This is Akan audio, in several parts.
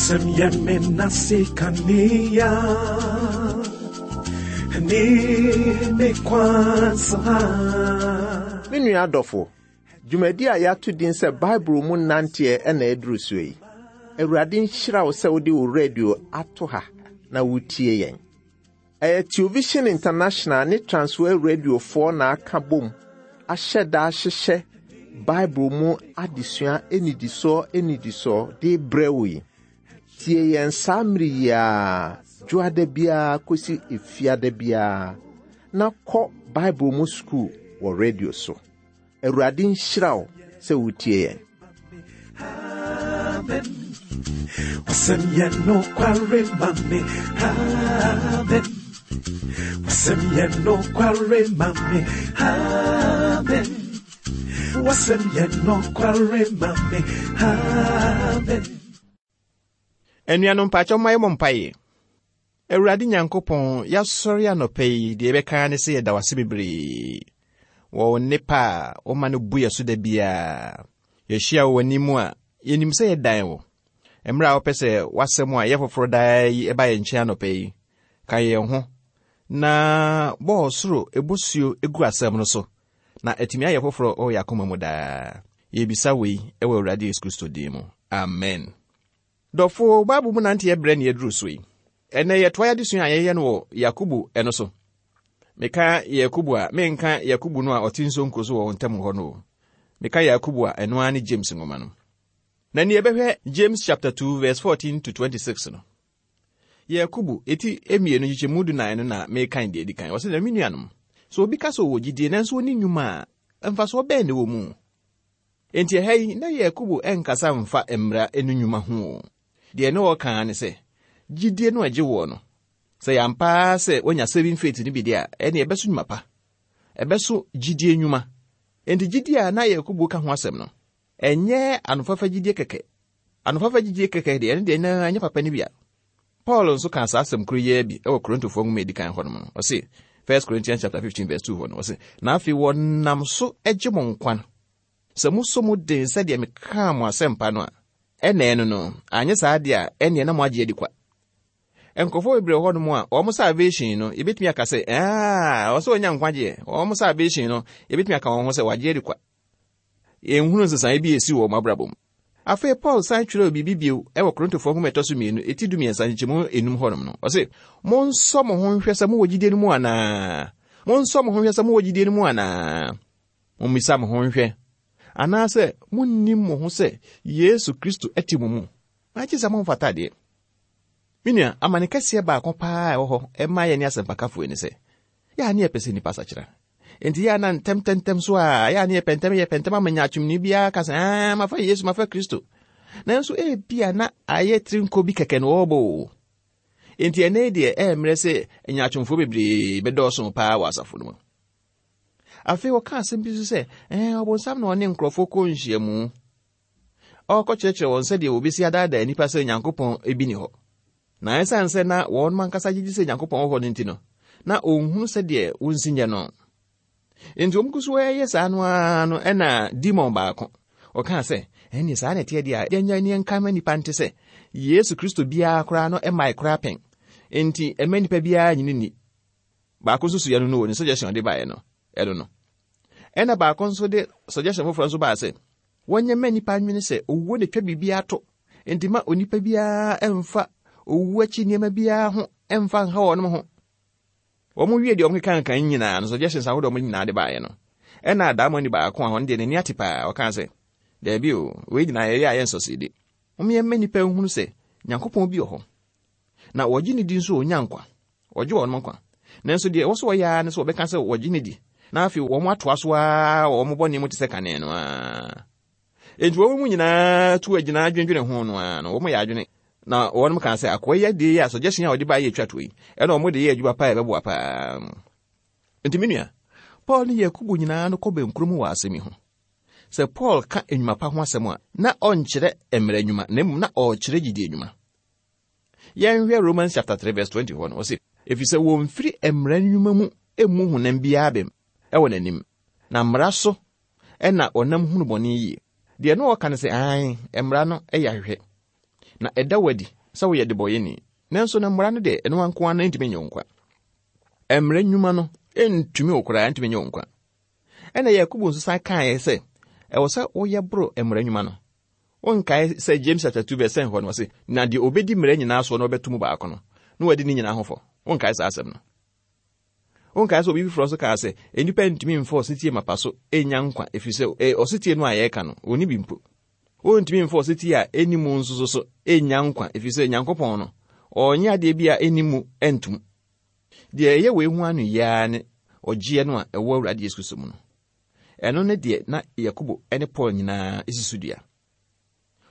Wasɛm yɛ me nase kanea ne me kwan so ha. Me nua adɔfo, dwumadi a yɛato din sɛ Bible mu nanteɛ na aduru so yi. Awurade nhyira wo sɛ wode wo radio ato ha na wotie yɛn. Ɛyɛ Television International ne Transworld Radiofoɔ na aka bom ahyɛ da ahyehyɛ Bible mu adesua nnidisoɔ nnidisoɔ de brɛ wo yi. Tie yɛn saa mmere yi ara, dwoada biara kɔsi efiada biara, na kɔ Bible mu sukuu wɔ radio so. Awurade nhyira wo sɛ wotie yɛn. Amen. Wasɛm yɛ nokware ma me. Amen. Wasɛm yɛ nokware ma me. Amen. Wasɛm yɛ nokware ma me. Amen. Anuanom mpakyɛ momma yɛmmɔ mpaeɛ. Awurade Nyankopɔn, yɛasɔre anɔpa yi, deɛ yɛbɛka ara ne sɛ yɛda wase bebree wɔ wo nnepa a woma no bu yɛ so da biara. Yɛhyia wɔ w'anim a, yɛnim sɛ yɛdan wo. Mmerɛ a wopɛ sɛ w'asɛm a ɛyɛ foforɔ daa yi ɛba yɛn nkyɛn anɔpa yi, ka yɛn ho na bɔ ɔsoro bosuo gu asɛm no so na atumi ayɛ foforɔ wɔ yɛn akoma mu daa. Yɛbisa wei wɔ Awurade Yesu Kristo din mu. Amen. Dɔfo, Bible mu nanteɛ berɛ ne aduru so yi. Ɛnnɛ yɛtoa yɛn adesua a yɛyɛ no wɔ Yakobo no so. Meka Yakobo a, menka Yakobo no a ɔte nsonko so wɔ wo ntam hɔ no o. Meka Yakobo a, ɛno ara ne James nwoma no. Na nea yɛbɛhwɛ James chapter 2 verse 14 to 26 no. Yakobo, eti mmienu nkyekyɛmu dunan no na mekan deɛ edi kan. Ɔsɛ na me nuanom, sɛ obi ka sɛ ɔwɔ gyidie nanso ɔnni nnwuma a, mfasoɔ bɛn na ɛwɔ mu? Enti ɛha yi, na Yakobo nkasa mfa mmara no nnwuma ho o. Deɛ na ɔreka ara ne sɛ, gyidie no a ɛgye woɔ no, sɛ ɛyɛ ampa ara sɛ woanya saving faith no bi deɛ a, ɛnneɛ ɛbɛso nnwuma pa. Ɛbɛso gyidie nnwuma. Enti gyidie a na Yakobo ka ho asɛm no, ɛnyɛ anofafa gyidie kɛkɛ. Anofafa gyidie kɛkɛ deɛ, ɛno deɛ na ɛnyɛ papa no bi a. Paul nso kaa saa asɛm koro yi ara bi wɔ Korintofoɔ nwoma a ɛdi kan hɔnom no. Ɔse, 1 Corinthians chapter 15 verse 2 hɔ no, ɔse, na afei wɔnam so gye mo nkwa no. Sɛ moso mu den sɛdeɛ mekaa mo asɛmpa no a, ɛna ɛno no, anyɛ saa deɛ a, ɛnneɛ na moagye adi kwa. Nkurɔfoɔ bebree wɔ hɔnom a, wɔn salvation no, yɛbɛtumi aka sɛ, aa, ɔsɛ ɔnya nkwagyeɛ. Wɔn salvation no, yɛbɛtumi aka wɔn ho sɛ wɔagye adi kwa. Yɛnhunu nsesaeɛ bi a ɛsi wɔ wɔn abrabɔ mu. Afei Paul san kyerɛw biribi bio wɔ Korintofoɔ nwoma ɛtɔ so mmienu, eti dumiɛnsa, nkyekyɛmu enum hɔnom no. Ɔse, Monsɔ mo ho nhwɛ sɛ mowɔ gyidie no mu anaa? Monsɔ mo ho nhwɛ sɛ mowɔ gyidie no mu anaa? Mommisa mo ho nhwɛ. Anaasɛ monnim mo ho sɛ Yesu Kristo te mo mu? Agye sɛ momfata deɛ. Me nua, amane kɛseɛ baako paa a ɛwɔ hɔ ɛma yɛne asɛmpakafoɔ yi ne sɛ, yɛ a ne yɛpɛ sɛ nnipa sakyera. Enti yɛ a na ntɛmntɛmntɛm so a, yɛ a ne yɛpɛ ntɛm, yɛpɛ ntɛm ama nyaatwomni biara ka sɛ, ah, mafa Yesu, mafa Kristo. Nanso ebia na ayɛ tirinko bi kɛkɛ na wɔrebɔ o. Enti ɛnɛ deɛ ɛyɛ mmerɛ sɛ nyaatwomfoɔ bebree bɛdɔɔso paa wɔ asafo no mu. Afei wɔka asɛm bi nso sɛ, ɛɛ ɔbonsam na ɔne nkurɔfoɔ kɔ nhyiamu. Ɔrekɔkyerɛkyerɛ wɔn sɛdeɛ wɔbɛsi adaadaa nnipa sɛ Onyankopɔn bi ni hɔ. Na ɛsiane sɛ na wɔn ankasa gye di sɛ Nyankopɔn wɔ hɔ no nti no, na ɔnhunu sɛdeɛ wɔnsi nyɛ no. Enti wɔn gu so reyɛ saa no ara no ɛna demon baako ɔkaa sɛ, ɛnneɛ saa na ɛteɛ deɛ a, yɛnyɛ ne yɛnka ma nnipa nte sɛ Yesu Kristo biara koraa no mmae koraa pɛn. Enti ɛmma nnipa biara nyini nni. Baako nso suiɛ no no wɔ ne suggestion ɔde baeɛ no, ɛno no. Ɛna baako nso de suggestion foforɔ nso baa sɛ, wɔnyɛ mma nnipa nwene sɛ owuo na ɛtwa biribiara to, enti ma onipa biara mfa owuo akyi nneɛma biara ho mfa nha wɔn ho. Wɔn wie deɛ wɔn keka nkan nyinaa no, suggestions ahodoɔ wɔn nyinaa de baeɛ no, ɛna adaamoni baako a ɔno deɛ n'ani ate paa, ɔkaa sɛ, daabi o, wei nyinaa yɛyɛ a yɛnsɔsidi. Wɔn mma nnipa nhunu sɛ Nyankopɔn bi wɔ hɔ, na wɔgye ne di nso wɔnya nkwa. Wɔgye wɔn nkwa. Nanso deɛ ɛwɔ sɛ wɔyɛ ara ne sɛ wɔbɛka sɛ wɔgye ne di, na afei wɔn atoa so ara wɔ wɔn bɔne mu te sɛ kane no ara. Enti wɔn mu nyinaa tu agyina adwendwene ho no ara no, wɔn yɛ adwene. Na wɔn kaa sɛ akoa yi adeɛ yi a suggestion a wɔde baeɛ yɛ twa toɔ yi, ɛna wɔn de yɛ adwuma paa a ɛbɛboa paa. Enti me nua, Paul ne Yakobo nyinaa no kɔ bɛnkuro mu wɔ asɛm yi ho. Sɛ Paul ka nnwuma pa ho asɛm a, na ɔnkyerɛ mmara nnwuma, na mmom na ɔrekyerɛ gyidie nnwuma. Yɛnhwɛ Romans chapter 3 verse 20 hɔ no, ɔse, Efisɛ wɔmfiri mmara nnwuma mu mmu honam biara bem wɔ n'anim, na mmara so na ɔnam hunu bɔne yie. Deɛ na ɔreka ne sɛ, aane, mmara no yɛ ahwehwɛ, na ɛda wo adi. sɛ woyɛ debɔyɛni. Nanso na mmara no deɛ, ɛno nko ara ntumi nyɛ wo nkwa. Mmara nnwuma no ntumi wo koraa, ntumi nyɛ wo nkwa. Ɛna Yakobo nso san kaeɛ sɛ, ɛwɔ sɛ woyɛ boro mmara nnwuma no. Wonkae sɛ James chapter 2 verse 10 hɔ no ɔse, na deɛ obɛdi mmara nyinaa soɔ na ɔbɛto mu baako no, na wadi ne nyinaa ho fɔ. Wonkae saa asɛm no? Wonkae sɛ obi foforɔ nso kaa sɛ, nnipa ntumi mfa ɔsetie mapa so nnya nkwa, ɛfiri sɛ eh, ɔsetie no a yɛreka no, wɔnni bi mpo. Wontumi mfa ɔsetie a ɛnni mu nso so so nnya nkwa, ɛfiri sɛ Nyankopɔn no, ɔnyɛ adeɛ bi a ɛnni mu ntom. Deɛ ɛyɛ wei ho ano yi ara ne ɔgyeɛ no a ɛwɔ Awurade Yesu Kristo mu no. Ɛno ne deɛ na Yakobo ne Paul nyinaa si so dua.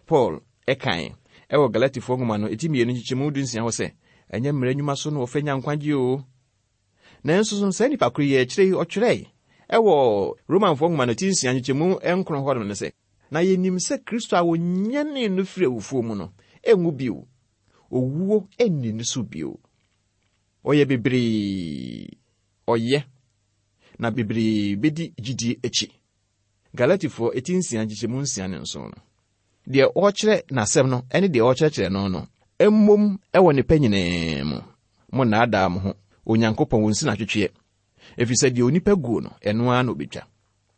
Paul kae wɔ Galatifoɔ nwoma no eti mmienu nkyekyɛmu 16 hɔ sɛ, ɛnyɛ mmara nnwuma so na wɔfa nya nkwagye o. Nanso so saa nipa koro yi akyire yi ɔtwerɛe wɔ Romanfoɔ nwoma no ti 6 nkyekyɛmu 9 hɔ no sɛ, Na yɛnim sɛ Kristo a wɔnyanee no firi awufoɔ mu no nwu bio, owuo nni ne so bio. Ɔyɛ bebree, ɔyɛ, na bebree bɛdi gyidie akyi. Galatifoɔ eti nsia nkyekyɛmu nsia ne nson no. Deɛ ɔrekyerɛ n'asɛm no ne deɛ ɔrekyerɛkyerɛ no no mmom wɔ ne pɛ nyinaa mu. Monnaadaa mo ho, Onyankopɔn wɔnsi no atwetweɛ, ɛfiri sɛ deɛ onipa guo no, ɛno ara na ɔbɛtwa.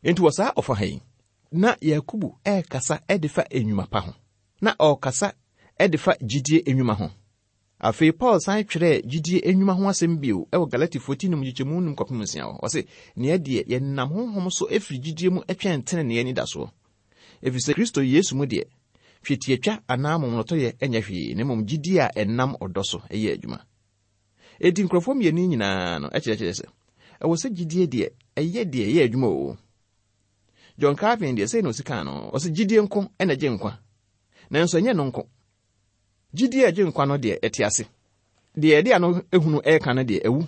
Enti wɔ saa ɔfa ha yi, na Yakobo rekasa de fa nnwuma pa ho. Na ɔrekasa de fa gyidie nnwuma ho. Afei Paul san twerɛɛ gyidie nnwuma ho asɛm bio wɔ Galatifoɔ ti num nkyekyɛmu num kɔpem nsia hɔ. Ɔse, Neɛ deɛ yɛnam honhom so firi gyidie mu twɛn tenenee anidasoɔ. Ɛfiri sɛ Kristo Yesu mu deɛ, twetiatwa anaa momonotɔyɛ nyɛ hwee, na mmom gyidie a ɛnam ɔdɔ so yɛ adwuma. Enti nkurɔfoɔ mmienu yi nyinaa no kyerɛkyerɛ sɛ, ɛwɔ sɛ gyidie deɛ ɛyɛ deɛ ɛyɛ adwuma o. John Calvin deɛ sei na ɔsi kaa no, ɔse gyidie nko na ɛgye nkwa, nanso ɛnyɛ no nko. Gyidie a ɛgye nkwa no deɛ, ɛte ase. Deɛ ɛde ano hunu reka no deɛ, awu.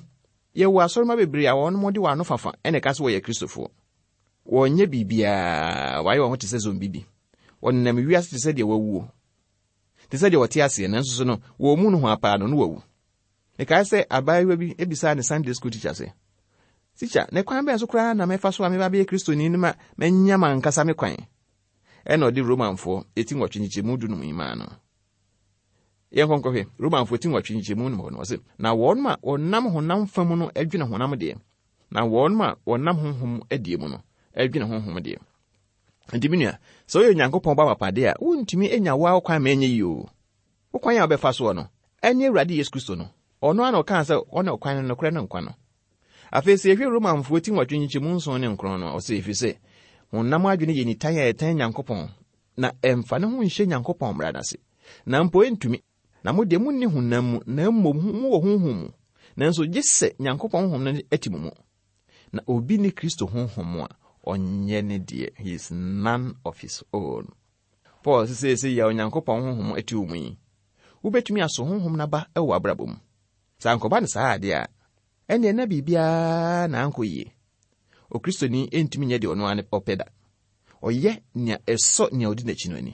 Yɛwɔ asɔremma bebree a wɔn de wɔn ano fafa na ɛka sɛ wɔyɛ Kristofoɔ. Wɔnyɛ biribiara, wɔayɛ wɔn ho te sɛ zombi bi. Wɔnenam wiase te sɛ deɛ wɔawuo, te sɛ deɛ wɔte aseɛ, nanso so no, wɔn mu nohoa paa no, no wɔawu. Mekae sɛ abaayewa bi bisaa ne Sunday school teacher sɛ, Tikya, na kwan bɛn so koraa na mɛfa so a meba abɛyɛ Kristoni no ma manya m'ankasa me kwan? Ɛnna ɔde Romanfoɔ ti nwɔtwe nkyekyɛmu dunum yi maa no. Yɛnkɔ nkɔhwɛ Romanfoɔ ti nwɔtwe nkyekyɛmu num hɔ no, ɔse, Na wɔn a wɔnam honam fa mu no dwene honam deɛ, na wɔn a wɔnam honhom deɛ mu no dwene honhom deɛ. Nti me nua, sɛ woyɛ Onyankopɔn ba papa deɛ a, wontumi nya wo ara wo kwan ma ɛnyɛ yie o. Wo kwan a wobɛfa soɔ no, ɛne Awurade Yesu Kristo no. Ɔno ara na ɔkaa sɛ ɔne ɔkwan no, nokorɛ no, nkwa no. Afei sɛ yɛhwɛ Romanfoɔ ti nwɔtwe nkyekyɛmu nson ne nkron no a, ɔse, ɛfiri sɛ honam adwene yɛ nitan a ɛtan Nyankopɔn, na ɛmfa ne ho nhyɛ Nyankopɔn mmara no ase, na mpo ɛntumi. Na mo deɛ monni honam mu, na mmom mowɔ honhom mu, nanso gye sɛ Nyankopɔn honhom no te mo mu. Na obi nni Kristo honhom a, ɔnyɛ ne deɛ, he is none of his own. Paul se seesei yi a Onyankopɔn honhom te wo mu yi, wobɛtumi aso honhom no aba wɔ w'abrabɔ mu. Sɛ ankɔba no saa adeɛ a, ɛnneɛ na biribiara na ankɔ yie. Okristoni ntumi nyɛ deɛ ɔno ara ɔpɛ da. Ɔyɛ nea ɛsɔ nea ɔdi n'akyi no ani.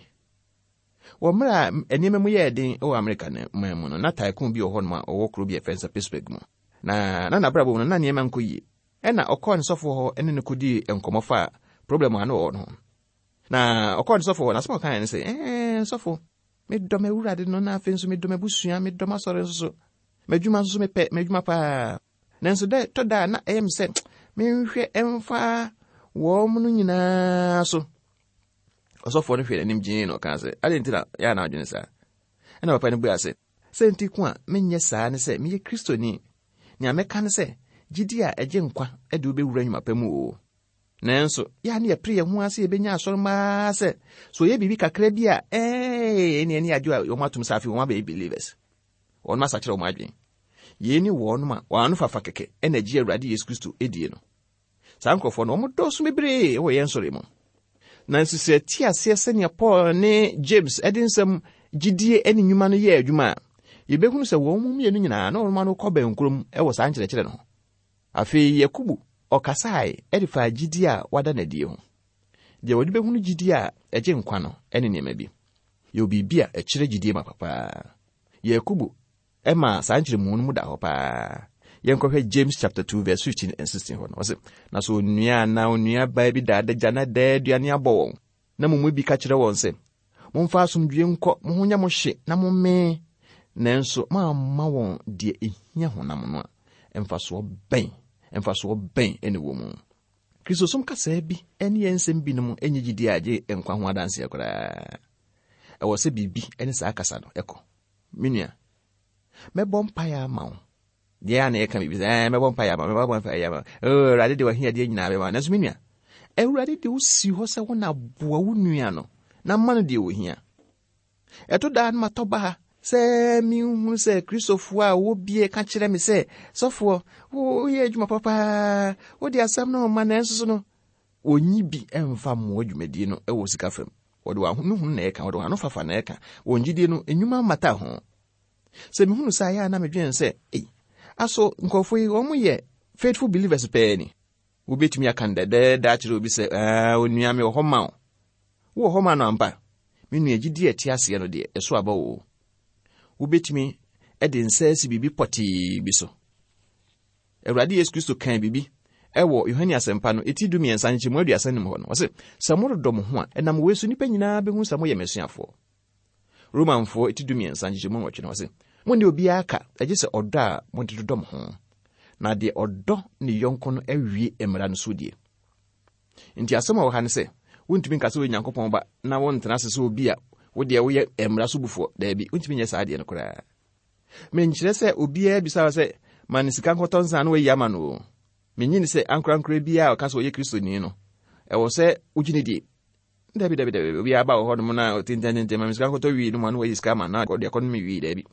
Wɔ mmerɛ a nneɛma mu yɛɛ den wɔ Amerika no man mu no, na tycoon bi wɔ hɔnom a ɔwɔ kuro bi a yɛfrɛ no sɛ Pittsburgh mu. Na na n'abrabɔ mu no, na nneɛma nkɔ yie. Ɛna ɔkɔɔ ne sɔfoɔ hɔ ne no kɔdii nkɔmmɔ faa problem a na ɔwɔ no ho. Na ɔkɔɔ ne sɔfoɔ hɔ, na asɛm a ɔkaeɛ ne sɛ, ɛɛ sɔfo, medɔ m'awurade no, na afei nso medɔ m'abusua, medɔ m'asɔre nso so. M'adwuma nso so mepɛ m'adwuma paa. Nanso dɛ tɔ da a na ɛyɛ me sɛ menhwɛ mfa wɔn no nyinaa so. Ɔsɔfoɔ no hwɛɛ n'anim gyee na ɔkaa sɛ, adɛn nti na yɛ a na adwene saa? Ɛna papa no buaa sɛ, sɛ nti ko a menyɛ saa ne sɛ meyɛ Kristoni. Nea mɛka ne sɛ, gyidi a ɛgye nkwa de wobɛwura nnwuma pa mu o. Nanso, yɛ a na yɛpere yɛn ho ara sɛ yɛbɛnya asɔremma ara sɛ, sɛ wɔyɛ biribi kakra bi a, ɛɛ, ɛne ɛne adwo a wɔn atom sɛ afei wɔn abɛyɛ believers. Wɔn asakyerɛ wɔn adwene. Yei ne wɔn a wɔn ano fafa kɛkɛ na agye Awurade Yesu Kristo die no. Saa nkurɔfoɔ no, wɔn dɔɔso bebree wɔ yɛn nsɔre mu. Nanso sɛ yɛte aseɛ sɛnea Paul ne James de nsɛm gyidie ne nnwuma no yɛɛ adwuma a, yɛbɛhunu sɛ wɔn mu mmienu nyinaa na wɔn ano kɔ bɛnkorom wɔ saa nkyerɛkyerɛ no ho. Afei Yakobo ɔkasae de faa gyidie a wada no adie ho. Deɛ wɔde bɛhunu gyidie a ɛgye nkwa no ne nneɛma bi. Yɛwɔ biribi a ɛkyerɛ gyidie ma papaa. Yakobo maa saa nkyerɛmu no mu da hɔ paa. Yɛnkɔhwɛ James chapter 2 verse 15 and 16 hɔ no. Ɔse, na sɛ onua anaa onua baa bi da adagya na daa aduane abɔ wɔn, na mo mu bi ka kyerɛ wɔn sɛ, Momfa asomdwoe nkɔ, mo ho nyɛ mo hye na mommee. Nanso moamma wɔn deɛ ɛhia honam no a, mfasoɔ bɛn, mfasoɔ bɛn na ɛwɔ mu? Kristosom kasaa bi ne yɛn nsɛm binom nnye gyidie a ɛgye nkwa ho adanseɛ koraa. Ɛwɔ sɛ biribi ne saa kasa no kɔ. Me nua, mɛbɔ mpaeɛ ama wo. Deɛ a na yɛka biribi sɛ, ɛɛ mɛbɔ mpaeɛ ama wo, mɛbɔ mpaeɛ ama wo. Oh, Awurade de w'ahiadeɛ nyinaa bɛma. Nanso me nua, Awurade de wo si hɔ sɛ wo na boa wo nua no na ma no deɛ ɔhia. Ɛto da a na matɔ baha sɛ menhunu sɛ Kristofoɔ a wɔwɔ bie ka kyerɛ me sɛ, sɔfoɔ, woyɛ adwuma papaa, wode asɛm no ma nanso so no, wɔnyi bi mfa mmoa dwumadie no wɔ sika fam. Wɔde wɔn ahonuhunu na ɛka, wɔde wɔn ano fafa na ɛka. Wɔn gyidie no, nnwuma mmata ho. Sɛ mehunu saa yɛ a na medwene sɛ, ei, aso nkurɔfoɔ yi wɔn yɛ faithful believers pɛɛ ni? Wobɛtumi aka no dɛdɛɛdɛ akyerɛ obi sɛ, onua mewɔ hɔ ma wo. Wowɔ hɔ ma no ampa? Me nua, gyidie a ɛte aseɛ no deɛ, ɛso aba oo. Wobɛtumi de nsa asi biribi pɔtee bi so. Awurade Yesu Kristo kaa biribi ɛwɔ Yohane Asɛmpa no eti 13 nkyɛmu 35 hɔ no. Ɔse, sɛ morodɔ mo ho a, ɛnam wei so nnipa nyinaa bɛhu sɛ moyɛ m'asuafoɔ. Romanfoɔ eti 13 nkyɛmu 8 no, ɔse, Monni obiara ka, agye sɛ ɔdɔ a mode dodɔ mo ho. Na deɛ ɔdɔ ne yɔnko no awie mmara no so die. Nti asɛm a ɛwɔ ha ne sɛ, wontumi nka sɛ woyɛ Nyankopɔn ba na wontena ase sɛ obi a wo deɛ woyɛ mmara so bufoɔ. Daabi, wontumi nyɛ saa adeɛ no koraa. Menkyerɛ sɛ obiara bisa wo sɛ ma no sika nkɔtɔ nsa na wayi ama no o. Menye ni sɛ ankorankorɛ biara a ɔka sɛ ɔyɛ Kristoni no, ɛwɔ sɛ wogye no die. Dabi, dabi, dabi, obiara ba wɔ hɔnom na ɔtentententen ma me sika nkɔtɔ wii no mu a na wayi sika ama na ɔde akɔnom wii, daabi.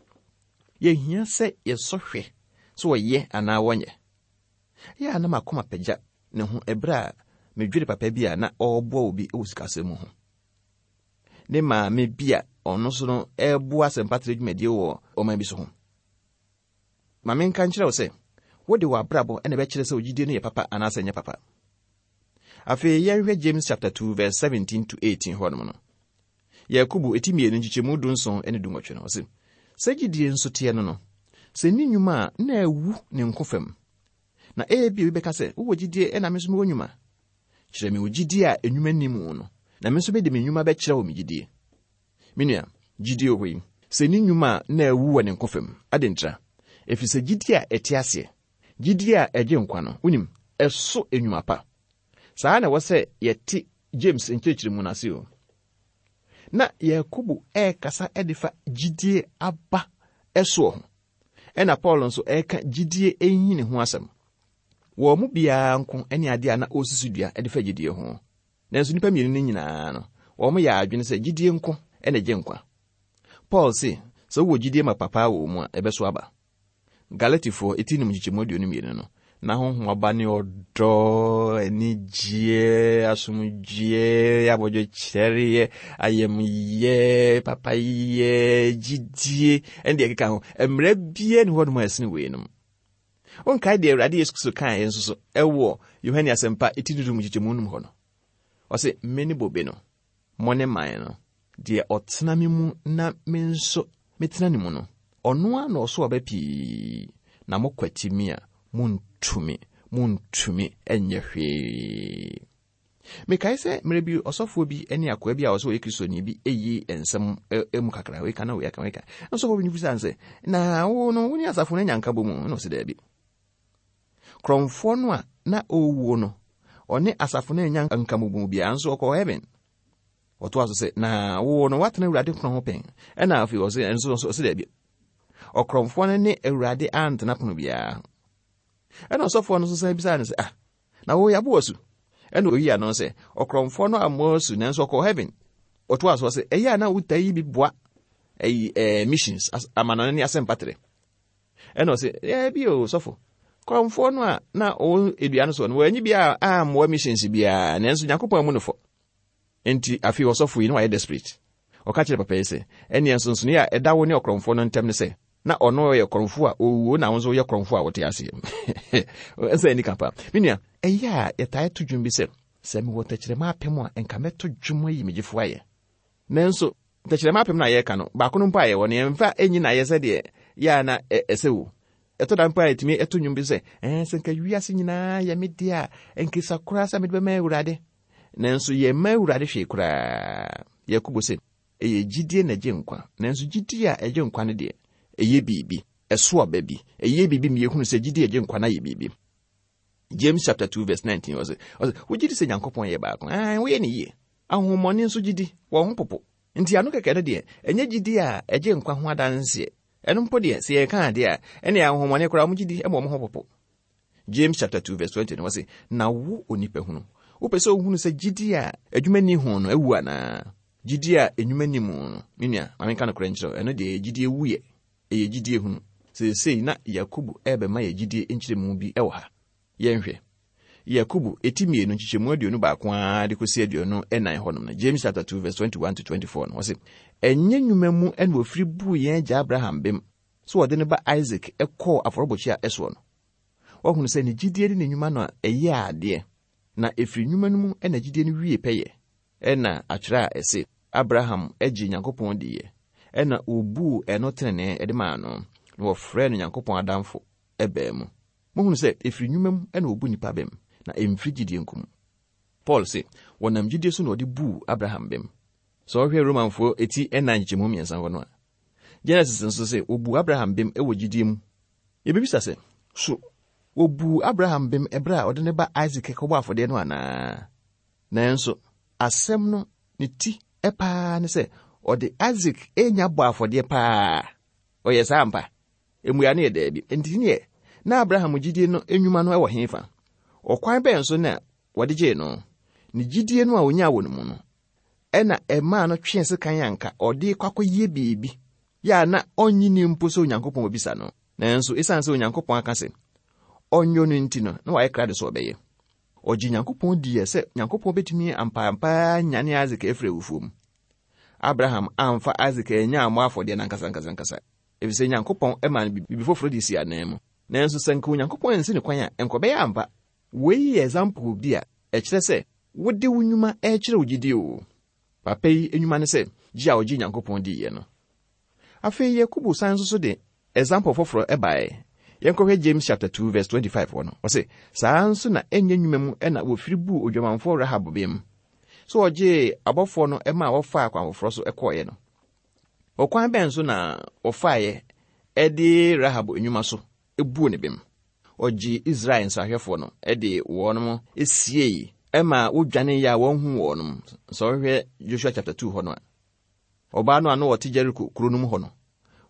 Yɛhia sɛ yɛsɔ hwɛ sɛ wɔyɛ anaa wɔnyɛ. Ɛyɛ a na m'akoma pagya ne ho bere a medwene papa bi a na ɔreboa obi wɔ sikasɛm mu ho. Ne maame bi a ɔno nso no reboa asɛmpatrɛ dwumadie wɔ ɔman bi so ho. Ma menka nkyerɛ wo sɛ, wode w'abrabɔ na ɛbɛkyerɛ sɛ wo gyidie no yɛ papa anaasɛ ɛnyɛ papa. Afei yɛnhwɛ James chapter 2 verse 17 to 18 hɔnom no. Yakobo eti 2 nkyekyɛmu 17 ne 18 no, ɔse, Sɛ gyidie nso teɛ no no, sɛ nni nnwuma a, na awu ne nko fam. Na ebia obi bɛka sɛ, Wowɔ gyidie ɛna me nso mewɔ nnwuma. Kyerɛ me wo gyidie a nnwuma nni mu no, na me nso mede me nnwuma bɛkyerɛ wo me gyidie. Me nua, gyidie wɔ hɔ yi, sɛ nni nnwuma a, na awu wɔ ne nko fam. Adɛn ntira? Ɛfiri sɛ gyidie a ɛte aseɛ, gyidie a ɛgye nkwa no, wonim, ɛso nnwuma pa. Saa na ɛwɔ sɛ yɛte James nkyerɛkyerɛmu no ase o. Na Yakobo ɛrekasa de fa gyidie aba ɛsoɔ ho. Ɛna Paul nso ɛreka gyidie nhini ho asɛm. Wɔn mu biara nko ne adeɛ a na ɔresisi dua de fa gyidie ho. Nanso nnipa mmienu no nyinaa no, wɔn yɛ adwene sɛ gyidie nko na ɛgye nkwa. Paul se, sɛ wowɔ gyidie ma papa wɔ wo mu a, ɛbɛso aba. Galatifoɔ eti num nkyekyɛmu 22 no, na honhom aba ne ɔdɔ, anigyeɛ, asomdwoeɛ, abɔdwokyɛreɛ, ayamyɛ, papayɛ, gyidie, ɛne deɛ ɛkeka ho. Mmerɛ biara ni hɔnom a ɛsene weinom. Wonkae deɛ Awurade Yesu Kristo kaeɛ nso so ɛwɔ Yohane Asɛmpa eti dudu nkyekyɛmu num hɔ no. Ɔse, Mene bobe no, mo ne man no. Deɛ ɔtena me mu na me nso metena ne mu no, ɔno ara na ɔso aba pii, na mokwati me a, montumi, montumi nyɛ hwee. Mekae sɛ mmerɛ bi ɔsɔfoɔ bi ne akoa bi a ɔsɛ ɔyɛ Kristoni bi eyi nsɛm mu kakra, wei ka na wei aka, wei ka. Na ɔsɔfoɔ bi no bisa no sɛ, na wo no, wo ne asafo no anya nkabɔ mu? Na ɔsɛ daabi. Korɔmfoɔ no a na ɔrewuo no, ɔne asafo no anya nkabɔ biara nso ɔkɔɔ heaven. Ɔtoa so sɛ, na wo no woatena Awurade pono ho pɛn. Ɛna afei ɔse, nso nso ɔse daabi. Ɔkorɔmfoɔ no ne Awurade antena pono biara ho. Ɛna ɔsɔfoɔ no nso san bisaa no sɛ, ah, na wo yɛabo asu? Ɛna oyi ano sɛ, ɔkorɔmfoɔ no ammɔ asu nanso ɔkɔɔ heaven. Ɔtoa so sɛ, ɛyɛ a na wotaa yi bi boa ɛyi ɛɛ missions amanɔne ne asɛmpatrɛ. Ɛna ɔse, daabi o sɔfo, korɔmfoɔ no a na ɔwɔ dua no soɔ no, wɔanyi bi a ammoa missions biara, nanso Nyankopɔn amu no fɔ. Enti afei ɔsɔfo yi na wayɛ desperate. Ɔka kyerɛɛ papa yi sɛ, Ɛnneɛ nsonsonoeɛ a ɛda wo ne ɔkorɔmfoɔ no ntam ne sɛ, na ɔno yɛ korɔmfoɔ a ɔwuo na wo nso woyɛ korɔmfoɔ a wote aseɛ. Ɛsɛ anika paa. Me nua, ɛyɛ a yɛtaa to dwom bi sɛ, sɛ mewɔ tɛkyerɛma apem a, nka mɛto dwom ayi me gyefoɔ ayɛ. Nanso, tɛkyerɛma apem no a yɛreka no, baako no mpo a yɛwɔ no, yɛmfa nyi no ayɛ sɛdeɛ yɛ a na ɛsɛ o. Ɛtɔ da mpo a yɛtumi to nnwom bi sɛ, ɛɛ, sɛ nka wiase nyinaa yɛ me deɛ a, nkesa koraa sɛ mede bɛma Awurade. Nanso yɛmma Awurade hwee koraa. Yakobo se, Ɛyɛ gyidie na ɛgye nkwa, nanso gyidie a ɛgye nkwa no deɛ, ɛyɛ biribi, ɛso aba bi, ɛyɛ biribi ma yɛhunu sɛ gyidie a ɛgye nkwa no ayɛ biribi. James chapter 2 verse 19 ɔse, ɔse, wogye di sɛ Nyankopɔn yɛ baako? Aane, woyɛ ne yie. Ahonhommɔne nso gye di, wɔn ho popo. Nti ano kɛkɛ no deɛ, ɛnyɛ gyidie a ɛgye nkwa ho adanseɛ. Ɛno mpo deɛ, sɛ yɛreka adeɛ a, ɛnneɛ ahonhommɔne koraa wɔn gye di ma wɔn ho popo. James chapter 2 verse 20 no wɔse, na wo onipa hunu, wopɛ sɛ wohunu sɛ gyidie a adwuma nni ho no awu anaa? Gyidie a nnwuma nni mu no, me nua, ma menka nokorɛ nkyerɛ wo, ɛno deɛ ɛyɛ gyidie wuyɛ, ɛyɛ gyidie hunu. Seesei na Yakobo rebɛma yɛ gyidie nkyerɛmu bi wɔ ha. Yɛnhwɛ. Yakobo, eti mmienu, nkyekyɛmu 21 ara de kɔsi 24 hɔnom no, James chapter 2 verse 21 to 24 no, ɔse, Ɛnyɛ nnwuma mu na wɔfiri buu yɛn agya Abraham bem sɛ ɔde ne ba Isak kɔɔ afɔrebɔkyia soɔ no. Wahunu sɛ ne gyidie ne ne nnwuma no a ɛyɛɛ adeɛ, na ɛfiri nnwuma no mu na gyidie no wie pɛyɛ. Ɛnna atwerɛ a ɛse, Abraham gyee Nyankopɔn diiɛ, ɛnna wɔbuu ɛno tenenee de maa no, na wɔfrɛɛ no Nyankopɔn adamfo, baa mu. Mohunu sɛ ɛfiri nnwuma mu na wɔbu nnipa bem, na ɛmfiri gyidie nko mu. Paul se, wɔnam gyidie so na wɔde buu Abraham bem. Sɛ wohwɛ Romanfoɔ ti nnan nkyekyɛmu mmiɛnsa hɔ no a, Genesis nso se wɔbuu Abraham bem wɔ gyidie mu. Yɛbɛbisa sɛ, so wɔbuu Abraham bem ɛberɛ a ɔde ne ba Isak kɔbɔɔ afɔdeɛ no anaa? Nanso, asɛm no ne ti paa ne sɛ ɔde Isak renya bɔ afɔdeɛ paa. Ɔyɛ saa ampa? Mmuae no yɛ daabi. Enti neɛ na Abraham gyidie no nnwuma no wɔ hefa? Ɔkwan bɛn so na wɔde gyee no? Ne gyidie no a ɔnyaa wɔ ne mu no, ɛna ɛmaa no twee sekan a anka ɔde rekɔ akɔyɛ biribi yɛ a na ɔnnye nni mpo sɛ Onyankopɔn bɛbisa no. Nanso, esiane sɛ Onyankopɔn aka sɛ ɔnyɔ no nti no, na wayɛ krado sɛ ɔbɛyɛ. Ɔgye Nyankopɔn diiɛ sɛ Nyankopɔn bɛtumi ampaampa ara anyane Isak afiri awufoɔ mu. Abraham amfa Isak annya ammɔ afɔdeɛ no ankasa ankasa ankasa, ɛfiri sɛ Nyankopɔn maa no biribi foforɔ de sii anan mu. Nanso sɛ nka Onyankopɔn ansi no kwan a, nka ɔbɛyɛ ampa. Wei yɛ example bi a ɛkyerɛ sɛ wode wo nnwuma rekyerɛ wo gyidie o. Papa yi nnwuma ne sɛ gye a ɔgye Nyankopɔn diiɛ no. Afei Yakobo san nso so de example foforɔ baeɛ. Yɛnkɔhwɛ James chapter 2 verse 25 hɔ no. Ɔse, saa ara nso na ɛnyɛ nnwuma mu na wɔfiri buu odwamanfoɔ Rahab bem, sɛ ɔgyee abɔfoɔ no maa wɔfaa kwan foforɔ so kɔeɛ no. Ɔkwan bɛn so na wɔfaeɛ de Rahab nnwuma so buu ne bem? Ɔgyee Israel nsrahwɛfoɔ no de wɔn siei ma wodwaneeɛ a wɔanhu wɔn. Sɛ wohwɛ Joshua chapter 2 hɔ no a, Ɔbaa no a na ɔte Jeriko kuro no mu hɔ no,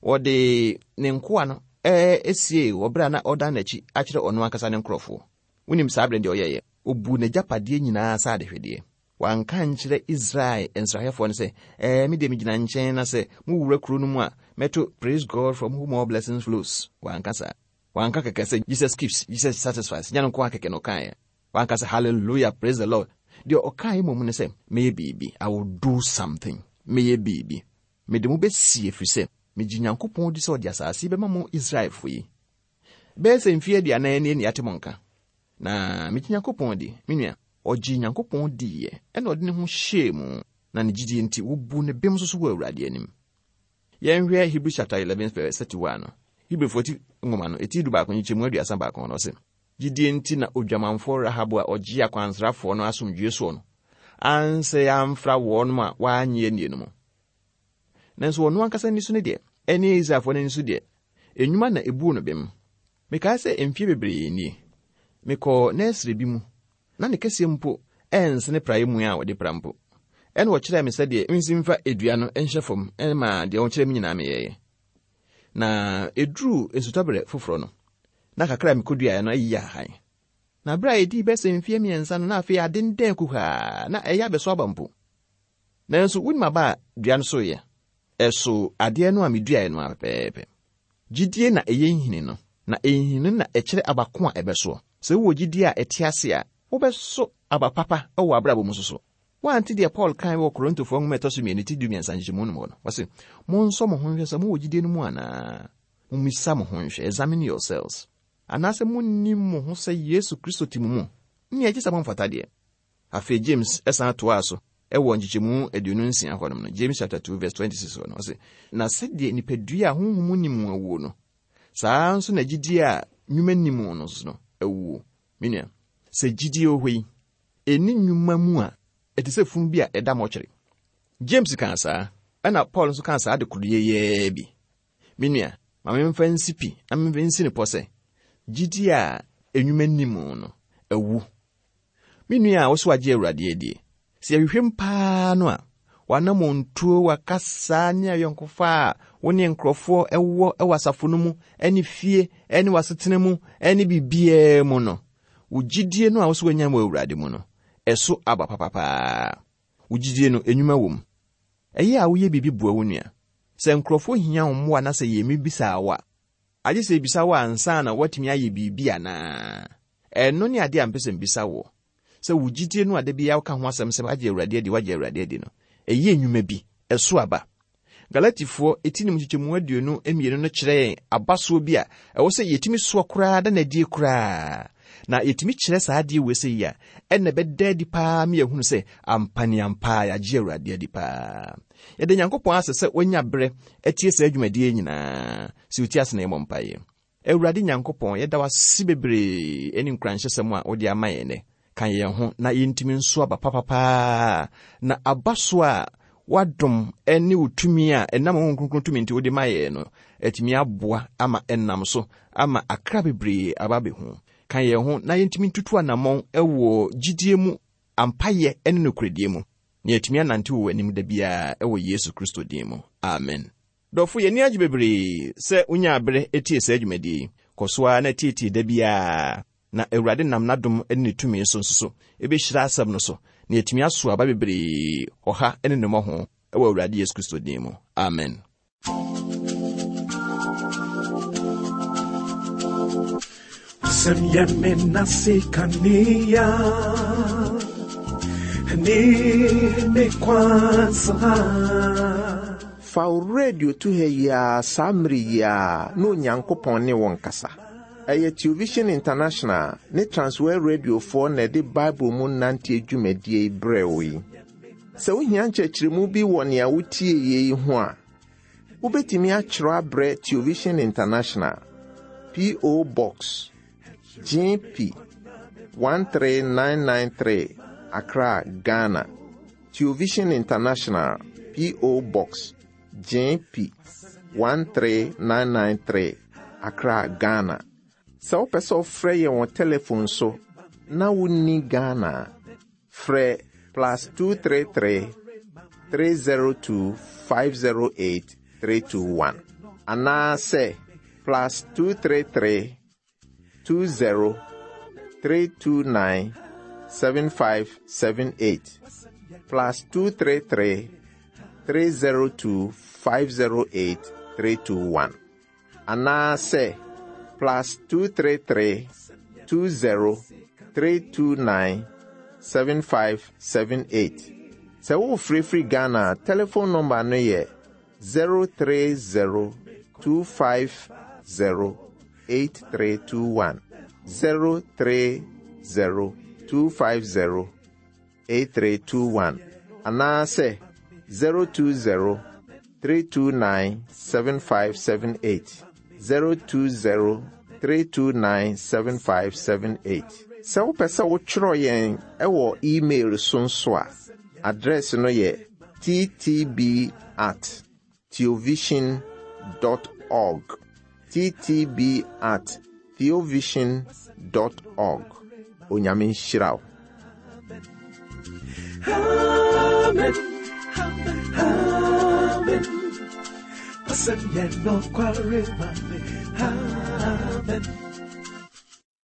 ɔde ne nkoa no siee wɔ berɛ a na ɔredan n'akyi akyerɛ ɔno ankasa ne nkurɔfoɔ. Wonim saa berɛ no deɛ ɔyɛeɛ? Ɔbuu n'agyapadeɛ nyinaa sɛ adehwedeɛ. Wanka ankyerɛ Israel nsrahwɛfoɔ no sɛ, Ɛɛ, me deɛ megyina nkyɛn na sɛ mowura kuro no mu a, mɛto Praise God from whom all blessings flows. Wanka saa. Wanka kɛkɛ sɛ Jesus keeps, Jesus satisfies. Nyɛ no nko ara kɛkɛ na ɔkaeɛ. Wanka sɛ, Hallelujah, praise the Lord. Deɛ ɔkaeɛ mmom ne sɛ, Mɛyɛ biribi. I will do something. Mɛyɛ biribi. Mede mo bɛsie ɛfiri sɛ megye Nyankopɔn di sɛ ɔde asase yi bɛma mo Israelfoɔ yi. Bɛyɛ sɛ mfeɛ aduanan nie na yɛate mo nka. Na megye Nyankopɔn di. Me nua, ɔgyee Nyankopɔn diiɛ, ɛna ɔde ne ho hyɛɛ mu, na ne gyidie nti wɔbuu no bem nso so wɔ Awurade anim. Yɛnhwɛ Hebrews chapter 11 verse 31 no. Hebrifoɔ ti nwoma no, eti 11 nkyekyɛmu 31 no, ɔse, Gyidie nti na odwamanfoɔ Rahab a ɔgyee akwansrafoɔ no asomdwoeɛ soɔ no ansɛe amfra wɔnom a wɔannye annie no mu. Nanso ɔno ankasa ani so no deɛ, ɛne Israelfoɔ no ani so deɛ, nnwuma na ɛbuu no bem. Mekae sɛ mfeɛ bebree nie, mekɔɔ nɛɛsere bi mu, na ne kɛseɛ mpo ɛnsene praeɛ mua a wɔde pra mpo. Ɛna ɔkyerɛɛ me sɛdeɛ mensi mfa dua no nhyɛ fam maa deɛ ɔkyerɛɛ me nyinaa meyɛeɛ. Na ɛduruu nsutɔberɛ foforɔ no, na kakra a mekɔduaeɛ no ayiyi ahahan. Na berɛ a ɛdii bɛsɛ mfeɛ mmiɛnsa no, na afei adendɛn kuhaa, na ɛyɛ abɛso aba mpo. Nanso wonim aba a dua no soeɛ? Ɛsoo adeɛ no a meduaeɛ no ara pɛpɛɛpɛ. Gyidie na ɛyɛ nhini no, na nhini no na ɛkyerɛ aba ko a ɛbɛsoɔ. Sɛ wowɔ gyidie a ɛte ase a, wobɛso aba papa wɔ w'abrabɔ mu nso so. Woante deɛ Paul kae wɔ Korintofoɔ nwoma a ɛtɔ so mmienu ti 13 nkyekyɛmu no mu hɔ no? Ɔse, Monsɔ mo ho nhwɛ sɛ mowɔ gyidie no mu anaa. Mommisa mo ho nhwɛ, examine yourselves. Anaasɛ monnim mo ho sɛ Yesu Kristo te mo mu? Nea ɛgye sɛ momfata deɛ. Afei James san toaa so wɔ nkyekyɛmu 26 hɔnom no, James chapter 2 verse 26 hɔ no, ɔse, Na sɛdeɛ nipadua a honhom nni mu awuo no, saa ara nso na gyidie a nnwuma nni mu no nso no awuo. Me nua, sɛ gyidie wɔ hɔ yi, ɛnni nnwuma mu a, ɛte sɛ funu bi a ɛda mɔkyere. James kaa saa, ɛna Paul nso kaa saa ade koro yɛyɛɛ bi. Me nua, Ma memfa nsi pi na memfa nsi no pɔ sɛ, gyidie a nnwuma nni mu no, awu. Me nua a wo so agye Awurade adie, sɛ yɛhwehwɛ mu paa no a, w'anammɔntuo, w'akasa ne ayɔnkofa a wo ne nkurɔfoɔ wɔ wɔ asafo no mu ne fie ne w'asetena mu ne biribiara mu no, wo gyidie no a wo so wanya wɔ Awurade mu no, ɛso aba papapaa. Wo gyidie no, nnwuma wɔ mu. Ɛyɛ a woyɛ biribi boa wo nua. Sɛ nkurɔfoɔ hia wo mmoa na sɛ yɛmmisa wo a, agye sɛ yɛbisa wo ansa na woatumi ayɛ biribi anaa? Ɛno ne adeɛ a mepɛ sɛ mebisa woɔ. Sɛ wo gyidie no a da biara woka ho asɛm sɛ woagye Awurade adi, woagye Awurade adi no, ɛyɛ nnwuma bi, ɛso aba. Galatifoɔ ti no mu nkyekyɛmu 22 no kyerɛ yɛn abasoɔ bi a ɛwɔ sɛ yɛtumi soɔ koraa da no adie koraa. Na yɛtumi kyerɛ saa adeɛ wei sɛ yi a, ɛna ɛbɛda adi paa ma yɛahunu sɛ ampaneampa yɛagye Awurade adi paa. Yɛda Nyankopɔn ase sɛ wanya berɛ atie saa dwumadie nyinaa. Sɛ wotie ase na yɛmmɔ mpaeɛ. Awurade Nyankopɔn, yɛda wo ase bebree ne nkuranhyɛsɛm a wode ama yɛn nnɛ. Ka yɛn ho na yɛntumi nso aba papa paa, na aba so a w'adom ne wo tumi a ɛnam Honhom Kronkron tumi nti wode ma yɛn no atumi aboa ama ɛnam so ama akra bebree aba abɛhu. Ka yɛn ho na yɛntumi ntutu anammɔn wɔ gyidie mu, ampayɛ ne nokorɛdie mu, na yɛatumi anante wɔ w'anim da biara wɔ Yesu Kristo din mu. Amen. Dɔfo, yɛn ani agye bebree sɛ wunyaa bere tiee saa dwumadi yi. Kɔ so ara na tietie da biara, na Awurade nam n'adom ne ne tumi so nso so behyira asɛm no so, na yɛatumi asow aba bebree ɔha ne ne mmɔho wɔ Awurade Yesu Kristo din mu. Amen. Sɛm yɛ me nase kanea ne me kwansa. Fa wo radio to ha yi ara saa mmere yi ara na Onyankopɔn ne wo nkasa. Ɛyɛ Television International ne Transworld Radiofoɔ na ɛde Bible mu nanteɛ dwumadie yi brɛɛ wo yi. Sɛ wohia nkyerɛkyerɛmu bi wɔ nea wotieeɛ yi ho a, wobɛtumi atwerɛ abrɛ Television International, P.O. Box, GP 13993, Accra, Ghana. Television International, P.O. Box, GP 13993, Accra, Ghana. Sɛ wopɛ sɛ wofrɛ yɛn wɔ telefon so na wonni Ghana a, frɛ plus 233 302 508 321 anaasɛ plus 233 20 329 7578 plus 233 302 508 321 anaasɛ plus 233 20 329 7578. Sɛ worefrɛfiri Ghana a, telefon nɔmba no yɛ 030 250 8321. 030 250 8321 anaasɛ 020 329 7578. 020 329 7578. Sɛ wopɛ sɛ wotwerɛ yɛn wɔ email so nso a, address no yɛ ttb at theovision dot org. Ttb at theovision dot org. Onyame nhyira wo. Amen. Amen. Wasɛm yɛ nokware ma me. Amen.